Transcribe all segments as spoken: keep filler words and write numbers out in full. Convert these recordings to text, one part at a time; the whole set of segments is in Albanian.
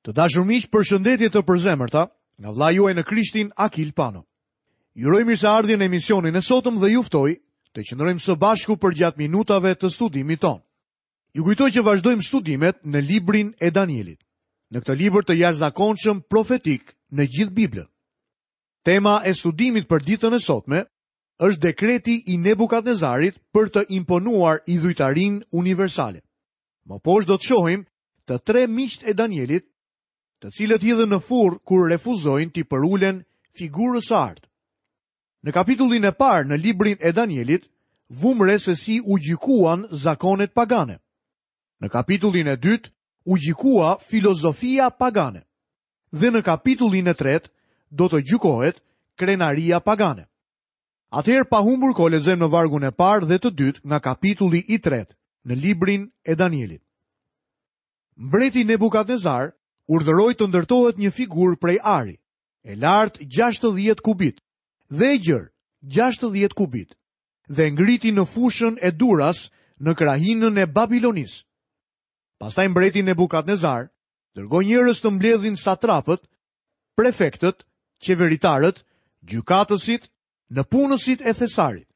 Të dashur miq, përshëndetje të përzemërta nga vëllai juaj në Krishtin Akil Pano. Ju uroj mirëseardhjen në emisionin e sotëm dhe ju ftoj të qëndrojmë së bashku përgjatë minutave të studimit tonë. Ju kujtoj që vazhdojmë studimet në librin e Danielit. Në këtë libër të jashtëzakonshëm profetik në gjithë Biblën. Tema e studimit për ditën e sotme është dekreti i Nebukadnezarit për të imponuar idhujtarinë universale. Më poshtë do të shohim të tre miqtë e Danielit, të cilët hidhen në furrë kur refuzojnë t'i përulen figurës së artë. Në kapitullin e parë në librin e Danielit, vumë re se si u gjykuan zakonet pagane. Në kapitullin e dytë u gjykua filozofia pagane. Dhe në kapitullin e tretë do të gjykohet krenaria pagane. Atëherë pa humbur kohë lexojmë në vargun e parë dhe të dytë nga kapitulli i tretë në librin e Danielit. Mbreti Nebukadnezar urdhëroi të ndërtohet një figurë prej ari, e lartë gjashtëdhjetë kubit dhe e gjerë gjashtëdhjetë kubit, dhe ngriti në fushën e Duras në krahinën e Babilonisë. Pastaj mbreti Nebukadnezar dërgoi njerëz të mbledhin satrapët, prefektët, qeveritarët, gjykatësit, nëpunësit e thesarit,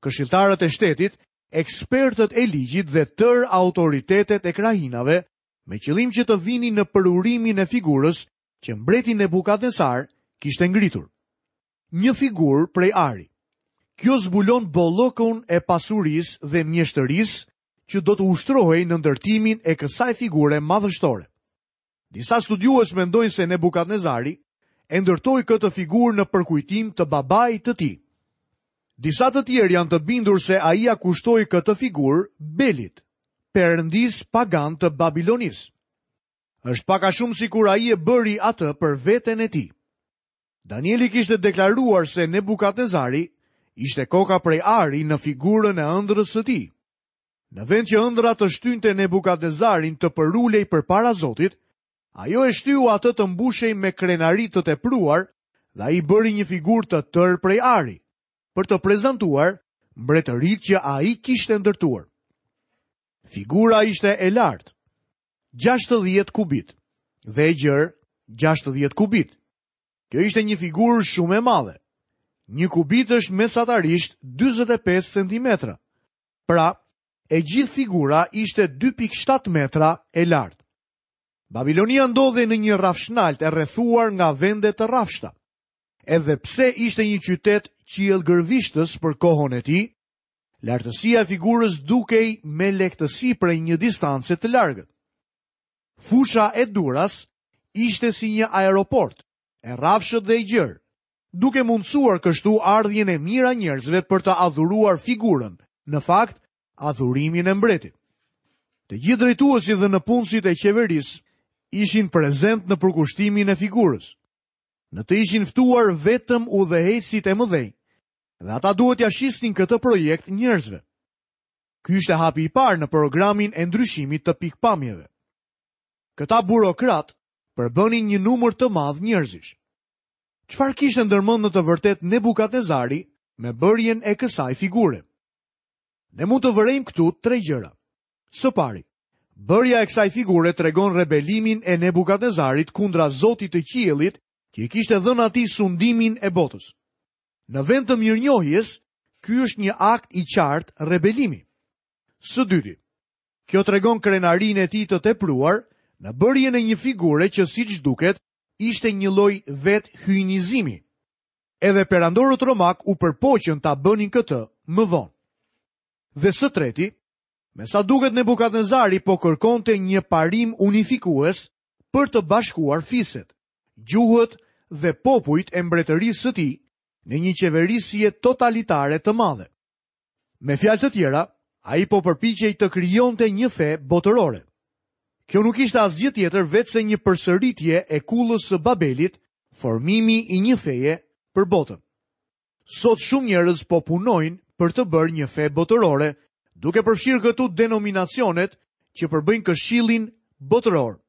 këshilltarët e shtetit, ekspertët e ligjit dhe tërë autoritetet e krahinave, me qëllim që të vinin në përurimin e figurës që mbreti Nebukadnezar kishte ngritur. Një figurë prej ari. Kjo zbulon bollëkun e pasurisë dhe mjeshtërisë që do të ushtrohej në ndërtimin e kësaj figure madhështore. Disa studiues mendojnë se Nebukadnezari e ndërtoi këtë figurë në përkujtim të babait të tij. Disa të tjerë janë të bindur se ai ia kushtoi këtë figurë Belit, perëndis pagan të Babilonisë. Është pak a shumë sikur ai e bëri atë për veten e tij. Danieli kishte deklaruar se Nebukadnezari ishte koka prej ari në figurën e ëndrrës së tij. Në vend që ëndrra të shtynte Nebukadnezarin të përulej përpara Zotit, ajo e shtyu atë të mbushej me krenari të tepruar dhe ai bëri një figurë të tërë prej ari, për të prezantuar mbretëritë që ai kishte ndërtuar. Figura ishte e lartë, gjashtëdhjetë kubit, dhe e gjerë gjashtëdhjetë kubit. Kjo ishte një figurë shumë e madhe. Një kubit është mesatarisht dyzet e pesë centimetra. Pra, e gjithë figura ishte dy pikë shtatë metra e lartë. Babilonia ndodhej në një rrafshnalt e rrethuar nga vende të rrafshta. Edhe pse ishte një qytet qiellgërvishtës për kohën e tij, lartësia e figurës dukej me lehtësi prej një distance të largët. Fusha e Duras ishte si një aeroport, e rrafshët dhe e gjerë, duke mundësuar kështu ardhjen e mira njerëzve për të adhuruar figurën, në fakt, adhurimin e mbretit. Të gjithë drejtuesit dhe nëpunësit e qeverisë ishin prezent në përkushtimin e figurës. Në të ishin ftuar vetëm udhëheqësit e mëdhenj, dhe ata duhet t'ia shisnin këtë projekt njerëzve. Ky ishte hapi i parë në programin e ndryshimit të pikpamjeve. Këta burokrat përbënin një numër të madh njerëzish. Çfarë kishte ndërmend në të vërtetë Nebukadnezari me bërjen e kësaj figure? Ne mund të vërejmë këtu tre gjëra. Së pari, bërja e kësaj figure tregon rebelimin e Nebukadnezarit kundra Zotit të qiellit që i kishte dhënë atij sundimin e botës. Në vend të mirënjohjes, ky është një akt i qartë rebelimi. Së dyti, kjo tregon krenarinë e tij të tepruar në bërjen e një figure që siç duket ishte një lloj vetëhyjnizimi. Edhe perandorët romak u përpoqën ta bënin këtë më vonë. Dhe së treti, me sa duket Nebukadnezari po kërkonte një parim unifikues për të bashkuar fiset, gjuhët dhe popujt e mbretërisë së tij në një qeverisje totalitare të madhe. Me fjalë të tjera, ai po përpiqej të krijonte një fe botërore. Kjo nuk ishte asgjë tjetër veçse një përsëritje e kullës së Babelit, formimi i një feje për botën. Sot shumë njerëz po punojnë për të bërë një fe botërore, duke përfshirë këtu denominacionet që përbëjnë këshillin botëror.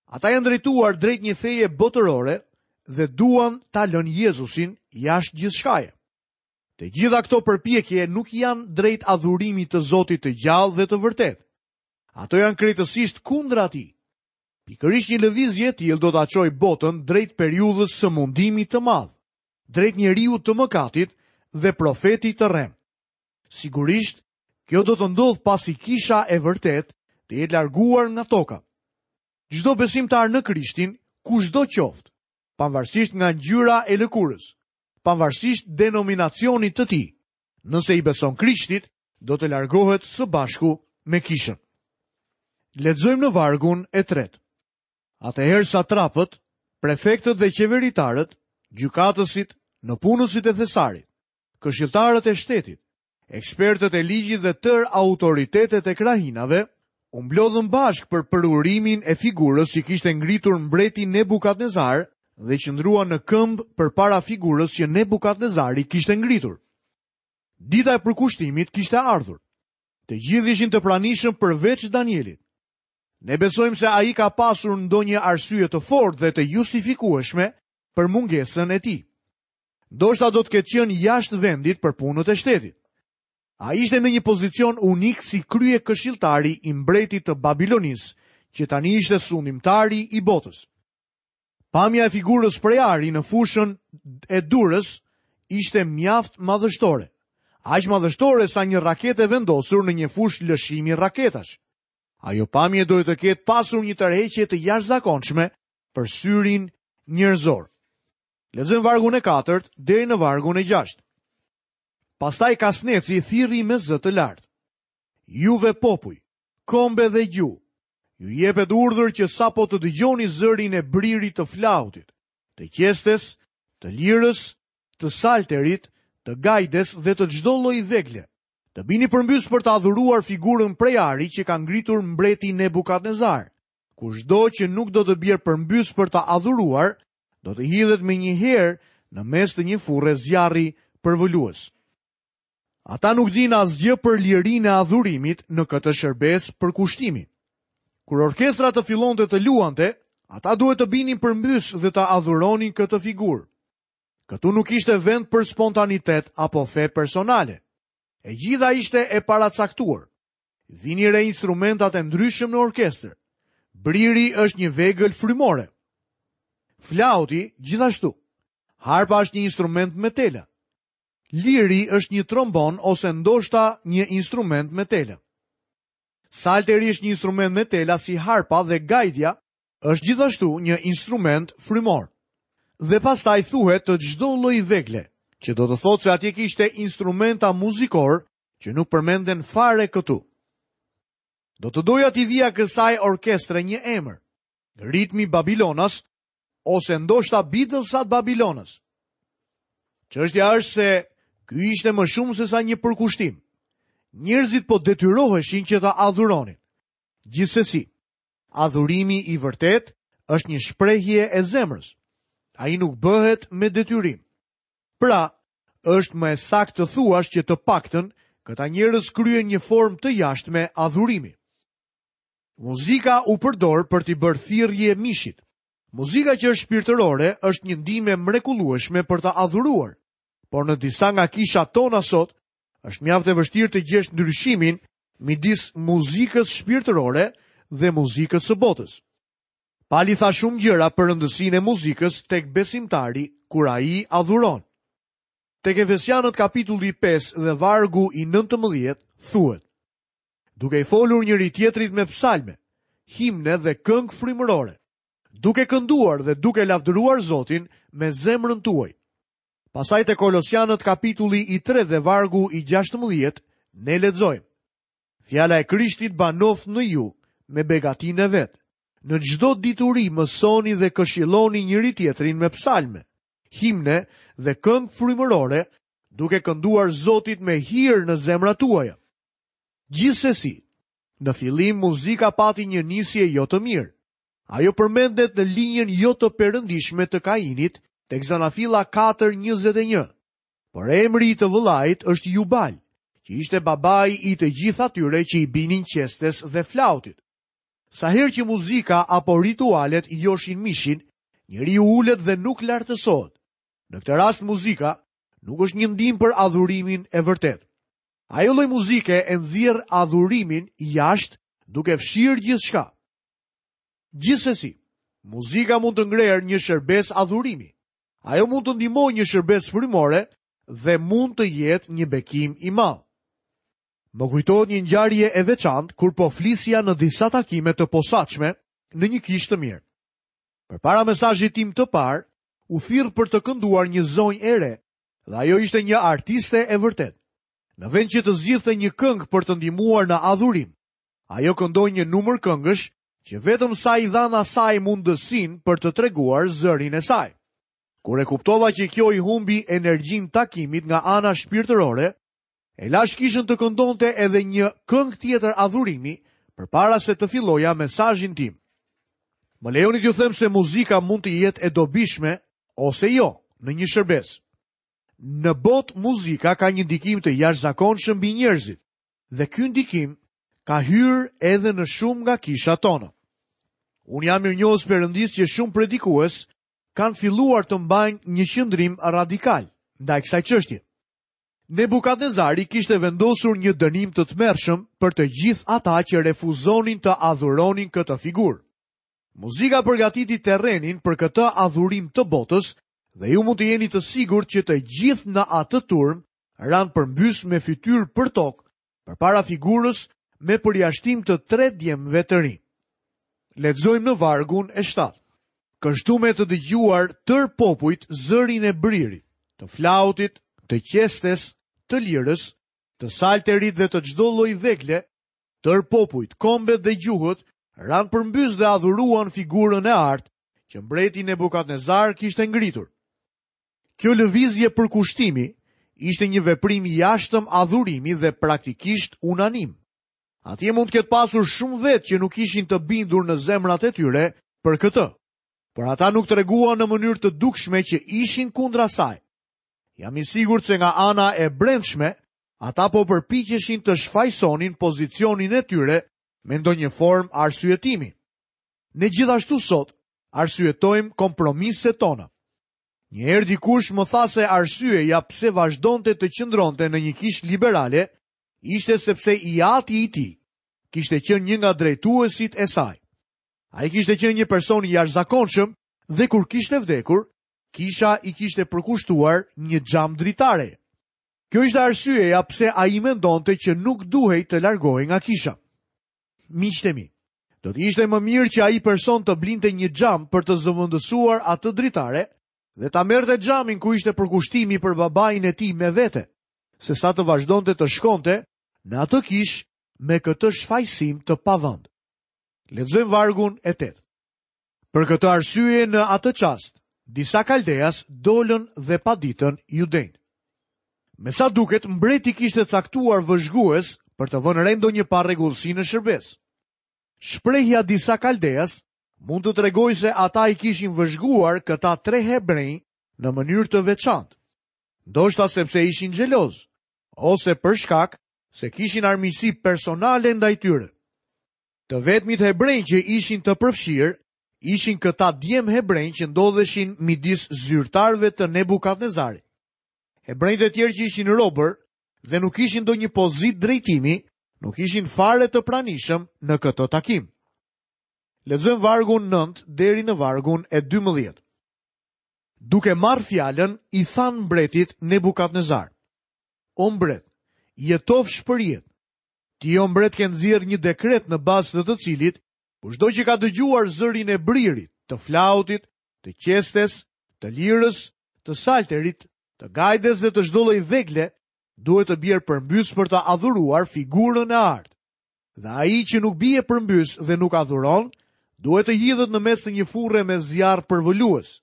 Ata janë drejtuar drejt një feje botërore dhe duan ta lënë Jezusin jashtë gjithçkaje. Të gjitha këto përpjekje nuk janë drejt adhurimit të Zotit të gjallë dhe të vërtetë. Ato janë krejtësisht kundra atij. Pikërisht një lëvizje e tillë do ta çojë botën drejt periudhës së mundimit të madh, drejt njeriut të mëkatit dhe profetit të rrem. Sigurisht, kjo do të ndodhë pasi kisha e vërtetë të jetë larguar nga toka. Çdo besimtar në Krishtin, kushdo qoftë, pavarësisht nga ngjyra e lëkurës, pavarësisht denominacionit të tij, nëse i beson Krishtit, do të largohet së bashku me kishën. Lexojmë në vargun e tretë. Atëherë satrapët, prefektët dhe qeveritarët, gjykatësit, nëpunësit e thesarit, këshilltarët e shtetit, ekspertët e ligjit dhe tërë autoritetet e krahinave, u mblodhën bashkë për përurimin e figurës që kishte ngritur mbreti Nebukadnezar dhe qëndruan në këmbë përpara figurës që Nebukadnezari kishte ngritur. Dita e përkushtimit kishte ardhur. Të gjithë ishin të pranishëm përveç Danielit. Ne besojmë se ai ka pasur ndonjë arsye të fortë dhe të justifikueshme për mungesën e tij. Ndoshta do të ketë qenë jashtë vendit për punët e shtetit. Ai ishte në një pozicion unik si krye këshilltari i mbretit të Babilonisë, që tani ishte sundimtari i botës. Pamja e figurës prej ari në fushën e Durës ishte mjaft madhështore. Aq madhështore sa një raketë e vendosur në një fushë lëshimi raketash. Ajo pamje duhet të ketë pasur një tërheqje të jashtëzakonshme për syrin njerëzor. Lexojmë vargun e katërt deri në vargun e gjashtë. Pastaj Kasneci thirri me zë të lartë: Juve popuj, kombe dhe gjuhë, ju jepet urdhër që sapo të dëgjoni zërin e bririt të flautit, të qestes, të lirës, të salterit, të gajdes dhe të çdo lloj vegle, të bini përmbys për të adhuruar figurën prej ari që ka ngritur mbreti Nebukadnezar. Kushdo që nuk do të bjerë përmbys për të adhuruar, do të hidhet me një herë në mes të një furre zjarri përvëlues. Ata nuk dinë asgjë për lirinë e adhurimit në këtë shërbesë përkushtimi. Kur orkestra të fillonte të luante, ata duhet të binin përmbys dhe të adhuronin këtë figurë. Këtu nuk ishte vend për spontanitet apo fe personale. E gjitha ishte e paracaktuar. Vini re instrumentat e ndryshëm në orkestër. Briri është një vegël frymore. Flauti gjithashtu. Harpa është një instrument me tela. Liri është një trombon ose ndoshta një instrument me tela. Salteri është një instrument me tela si harpa dhe gajdja është gjithashtu një instrument frymor. Dhe pastaj thuhet të çdo lloj vegle, që do të thotë se atje kishte instrumenta muzikor që nuk përmenden fare këtu. Do të doja t'i vija kësaj orkestre një emër, ritmi Babilonas ose ndoshta Beatlesat Babilonas. Çështja është se ky ishte më shumë se sa një përkushtim. Njerëzit po detyroheshin që ta adhuronin. Gjithsesi, adhurimi i vërtet është një shprehje e zemrës. Ai nuk bëhet me detyrim. Pra, është më e saktë të thuash që të paktën këta njerëz kryen një formë të jashtme adhurimi. Muzika u përdor për t'i bërë thirrje mishit. Muzika që është shpirtërore është një ndihmë e mrekullueshme për të adhuruar. Por në disa nga kishat tona sot, është mjaft e vështirë të gjesh ndryshimin midis muzikës shpirtërore dhe muzikës së botës. Pali tha shumë gjëra për rëndësinë e muzikës tek besimtari kur ai adhuron. Tek Efesianët kapitulli pesë dhe vargu i nëntëmbëdhjetë thuhet: Duke i folur njëri tjetrit me psalme, himne dhe këngë frymërore, duke kënduar dhe duke lavdëruar Zotin me zemrën tuaj. Pastaj te Kolosianët kapitulli i tretë dhe vargu i gjashtëmbëdhjetë ne lexojmë: Fjala e Krishtit banoft në ju me begatinë e vet. Në çdo dituri mësoni dhe këshilloni njëri tjetrin me psalme, himne dhe këngë frymërore, duke kënduar Zotit me hir në zemrat tuaja. Gjithsesi, në fillim muzika pati një nisje jo të mirë. Ajo përmendet në linjën jo të perëndishme të Kainit, tek Zanafilla katër njëzet e një. Por emri i të vëllait është Jubal, që ishte babai i të gjithë atyre që i binin qestes dhe flautit. Sa herë që muzika apo ritualet joshin mishin, njeriu ulet dhe nuk lartësohet. Në këtë rast muzika nuk është një ndihmë për adhurimin e vërtetë. Ajo lloj muzike e nxjerr adhurimin jashtë duke fshirë gjithçka. Gjithsesi, muzika mund të ngrerë një shërbesë adhurimi. Ajo mund të ndihmojë një shërbesë frymore dhe mund të jetë një bekim i madh. Më kujtohet një ngjarje e veçantë kur po flisja në disa takime të posaçme në një kishë të mirë. Përpara mesazhit tim të parë, u thirr për të kënduar një zonjë e re, dhe ajo ishte një artiste e vërtetë. Në vend që të zgjidhte një këngë për të ndihmuar në adhurim, ajo këndoi një numër këngësh që vetëm sa i dhanë asaj mundësinë për të treguar zërin e saj. Kur e kuptova që kjo i humbi energjinë takimit nga ana shpirtërore, e lash kishën të këndonte edhe një këngë tjetër adhurimi përpara se të filloja mesazhin tim. Më lejoni t'ju them se muzika mund të jetë e dobishme ose jo në një shërbesë. Në botë muzika ka një ndikim të jashtëzakonshëm mbi njerëzit dhe ky ndikim ka hyrë edhe në shumë nga kishat tona. Unë jam mirënjohës Perëndisë që shumë predikues kanë filluar të mbajnë një qëndrim radikal ndaj kësaj çështje. Nebukadnezari kishte vendosur një dënim të tmerrshëm për të gjithë ata që refuzonin të adhuronin këtë figurë. Muzika përgatiti terrenin për këtë adhurim të botës dhe ju mund të jeni të sigurt që të gjithë në atë turm ranë përmbys me fytyrë për tokë përpara figurës me përjashtim të tre djemve të rinj. Lexojmë në vargun e shtatë. Kështu me të dëgjuar tër popujt zërin e bririt, të flautit, të qestes, të lirës, të salterit dhe të çdo lloj vegle, tër popujt, kombet dhe gjuhët ranë përmbys dhe adhuruan figurën e artë që mbreti Nebukadnezar kishte ngritur. Kjo lëvizje përkushtimi ishte një veprim i jashtëm adhurimi dhe praktikisht unanim. Atje mund të ketë pasur shumë vetë që nuk ishin të bindur në zemrat e tyre për këtë, por ata nuk treguan në mënyrë të dukshme që ishin kundra saj. Jam i sigurt se nga ana e brendshme, ata po përpiqeshin të shfajsonin pozicionin e tyre me ndonjë formë arsyetimi. Ne gjithashtu sot arsyetojmë kompromiset tona. Një herë dikush më tha se arsyeja pse vazhdonte të qëndronte në një kishë liberale ishte sepse i ati i tij kishte qenë një nga drejtuesit e saj. Ai kishte qenë një person i jashtëzakonshëm dhe kur kishte vdekur, kisha i kishte përkushtuar një xham dritare. Kjo ishte arsyeja pse ai mendonte që nuk duhej të largohej nga kisha. Miqtë e mi, do të ishte më mirë që ai person të blinte një xham për të zëvendësuar atë dritare dhe ta merrte xhamin ku ishte përkushtimi për babain e tij me vete, se sa të vazhdonte të shkonte në atë kishë me këtë shfajësim të pavend. Lexojmë vargun e tetë. Për këtë arsye në atë çast, disa kaldeas dolën dhe paditën judenjt. Me sa duket, mbreti kishte caktuar vëzhgues për të vënë re ndonjë parregullsi në shërbesë. Shprehja disa kaldeas mund të tregojë se ata i kishin vëzhguar këta tre hebrenj në mënyrë të veçantë. Ndoshta sepse ishin xheloz, ose për shkak se kishin armiqësi personale ndaj tyre. Të vetmit hebrenj që ishin të përfshirë ishin këta djem hebrenj që ndodheshin midis zyrtarëve të Nebukadnezarit. Hebrenjtë e tjerë që ishin robër dhe nuk ishin ndonjë pozitë drejtimi, nuk ishin fare të pranishëm në këtë takim. Lexojmë vargun nëntë deri në vargun e dymbëdhjetë. Duke marrë fjalën, i than mbretit Nebukadnezar: O mbret, jetofsh për jetë. Ti, o mbret, ke nxjerrë një dekret në bazë të të cilit, kushdo që ka dëgjuar zërin e bririt, të flautit, të qestes, të lirës, të salterit, të gajdes dhe të çdo lloj vegle, duhet të bjerë përmbys për të adhuruar figurën e artë. Dhe ai që nuk bie përmbys dhe nuk adhuron, duhet të hidhet në mes të një furre me zjarr përvëlues.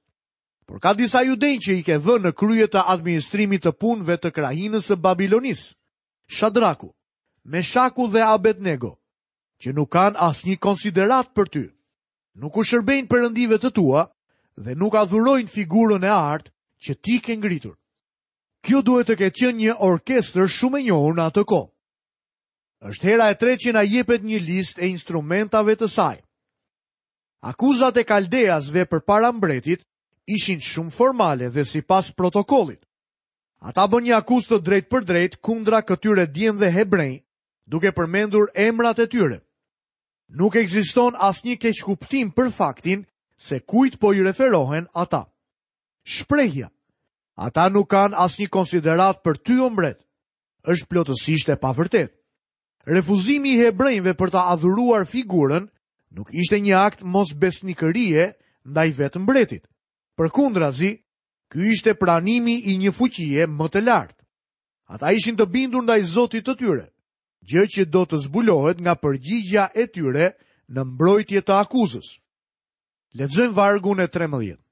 Por ka disa judenj që i ke vënë në krye të administrimit të punëve të krahinës së Babilonisë, Shadraku, Meshaku dhe Abednego, që nuk kanë asnjë konsiderat për ty. Nuk u shërbejnë perëndive të tua dhe nuk adhurojnë figurën e artë që ti ke ngritur. Kjo duhet të ketë qenë një orkestër shumë e njohur në atë kohë. Është hera e tretë që na jepet një listë e instrumentave të saj. Akuzat e kaldeasve përpara mbretit ishin shumë formale dhe sipas protokollit. Ata bën një akuzë të drejtë për drejtë kundra këtyre djemve hebrenj, duke përmendur emrat e tyre. Nuk ekziston asnjë keqkuptim për faktin se kujt po i referohen ata. Shprehja, ata nuk kanë asnjë konsideratë për ty, o mbret, është plotësisht e pavërtetë. Refuzimi i hebrejve për ta adhuruar figurën nuk ishte një akt mosbesnikërie ndaj vetë mbretit. Përkundrazi, ky ishte pranimi i një fuqie më të lartë. Ata ishin të bindur ndaj Zotit të tyre, gjë që do të zbulohet nga përgjigja e tyre në mbrojtje të akuzës. Lexojmë vargun e trembëdhjetë.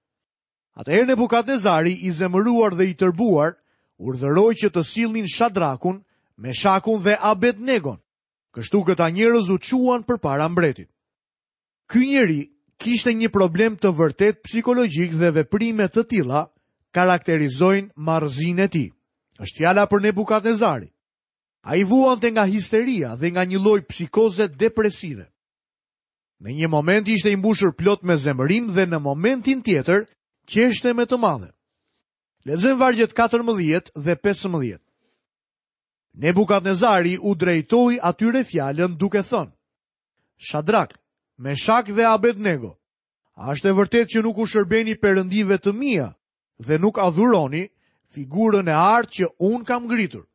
Atëherë Nebukadnezari, i zemëruar dhe i tërbuar, urdhëroi që të sillnin Shadrakun, Meshakun dhe Abednegon. Kështu këta njerëz u çuan përpara mbretit. Ky njeri kishte një problem të vërtetë psikologjik dhe veprime të tilla karakterizojnë marrëzinë e tij. Është fjala për Nebukadnezarin. Ai vuante nga histeria dhe nga një lloj psikoze depresive. Në një moment ishte i mbushur plot me zemërim dhe në momentin tjetër qeshte me të madhe. Lexojmë vargjet katërmbëdhjetë dhe pesëmbëdhjetë. Nebukadnezari u drejtoi atyre fjalën duke thënë: Shadrak, Meshak dhe Abednego, a është e vërtetë që nuk u shërbeni perëndive të mia dhe nuk adhuroni figurën e artë që unë kam ngritur?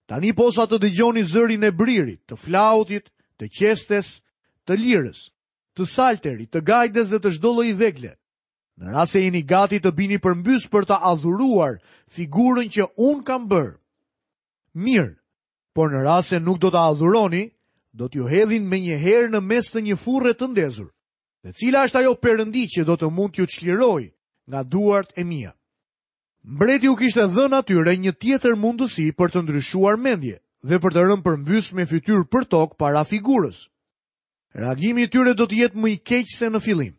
Tani posa të dëgjoni zërin e bririt, të flautit, të qestes, të lirës, të salterit, të gajdes dhe të çdo lloji vegle, në rast se jeni gati të bini përmbys për ta adhuruar figurën që unë kam bërë, mirë, por në rast se nuk do ta adhuroni, do t'ju hedhin menjëherë në mes të një furre të ndezur. Dhe cila është ajo perëndi që do të mund t'ju çlirojë nga duart e mia? Mbreti u kishte dhënë atyre një tjetër mundësi për të ndryshuar mendje dhe për të rënë përmbys me fytyrë për tokë para figurës. Reagimi i tyre do të jetë më i keq se në fillim.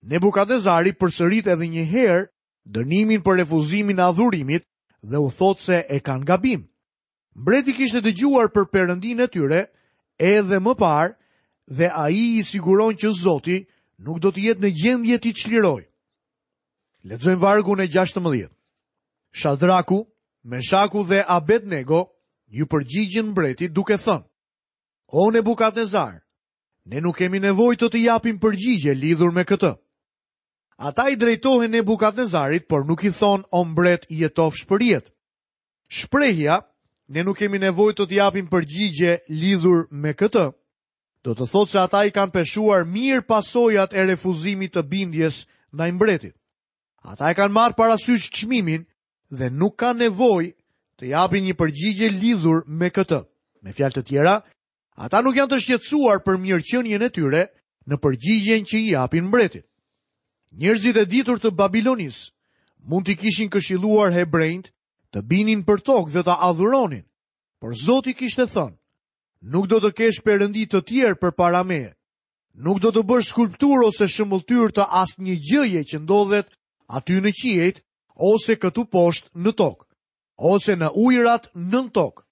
Nebukadnezari përsërit edhe një herë dënimin për refuzimin e adhurimit dhe u thotë se e kanë gabim. Mbreti kishte dëgjuar për perëndinë e tyre edhe më parë dhe ai i siguron që Zoti nuk do të jetë në gjendje t'i çlirojë. Lexojmë vargun e gjashtëmbëdhjetë. Shadraku, Meshaku dhe Abednego ju përgjigjën mbretit duke thënë: O Nebukadnezar, ne nuk kemi nevojë të të japim përgjigje lidhur me këtë. Ata i drejtohen Nebukadnezarit, por nuk i thonë: O mbret, jetofsh për jetë. Shprehja, ne nuk kemi nevojë të të japim përgjigje lidhur me këtë, do të thotë se ata i kanë peshuar mirë pasojat e refuzimit të bindjes ndaj mbretit. Ata e kanë marrë parasysh çmimin dhe nuk kanë nevojë të japin një përgjigje lidhur me këtë. Me fjalë të tjera, ata nuk janë të shqetësuar për mirëqenien e tyre në përgjigjen që i japin mbretit. Njerëzit e ditur të Babilonisë mund t'i kishin këshilluar hebrejt të binin për tokë dhe ta adhuronin, por Zoti kishte thënë: Nuk do të kesh perëndi të tjerë përpara meje. Nuk do të bësh skulpturë ose shëmbëlltyrë të asnjë gjëje që ndodhet aty në qiejt ose këtu poshtë në tokë, ose në ujërat nën tokë.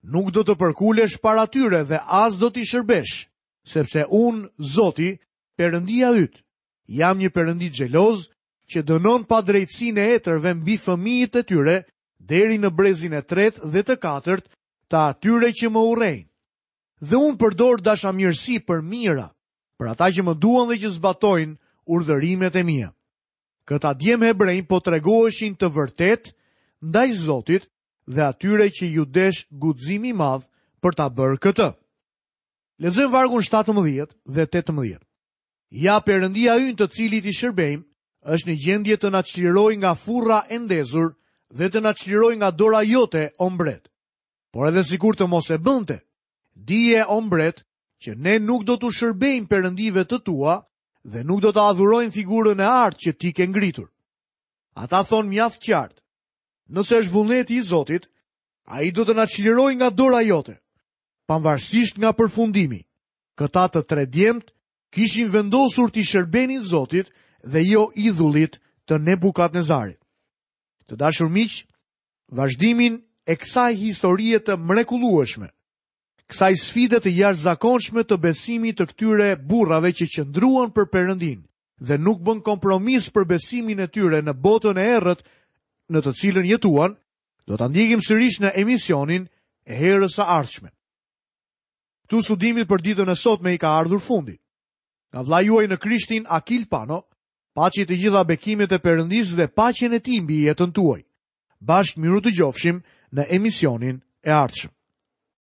Nuk do të përkulesh para tyre dhe as do t'i shërbesh, sepse unë, Zoti, Perëndia yt, jam një perëndi xheloz që dënon padrejtësinë e etërve mbi fëmijët e tyre deri në brezin e tretë dhe të katërt të atyre që më urrejnë. Dhe unë përdor dashamirësi për mijëra, për ata që më duan dhe që zbatojnë urdhërimet e mia. Këta djem hebrejn po tregoheshin të vërtet ndaj Zotit dhe atyre që ju desh guximi i madh për ta bërë këtë. Lexojmë vargun shtatëmbëdhjetë dhe tetëmbëdhjetë. Ja Perëndia ynë të cilit i shërbejmë është në gjendje të na çlirojë nga furra e ndezur dhe të na çlirojë nga dora jote, o mbret. Por edhe sikur të mos e bënte, dije, o mbret, që ne nuk do t'u shërbejmë perëndive të tua dhe nuk do të adhurojmë figurën e artë që ti ke ngritur. Ata thonë mjaft qartë, nëse është vullneti i Zotit, ai do të na çlirojë nga dora jote. Pavarësisht nga përfundimi, këta të tre djemt kishin vendosur t'i shërbenin Zotit dhe jo idhullit të Nebukadnezarit. Të dashur miq, vazhdimin e kësaj historie të mrekullueshme, kësaj sfide të jashtëzakonshme të besimit të këtyre burrave që qëndruan për Perëndin dhe nuk bën kompromis për besimin e tyre në botën e errët në të cilën jetuan, do ta ndjekim sërish në emisionin e herës së ardhshme. Këtu studimit për ditën e sotme i ka ardhur fundi. Nga vëllai juaj në Krishtin Akil Pano, paçi të gjitha bekimet e Perëndisë dhe paqen e tij mbi jetën tuaj. Bashkë mirudëgjofshim në emisionin e ardhshëm.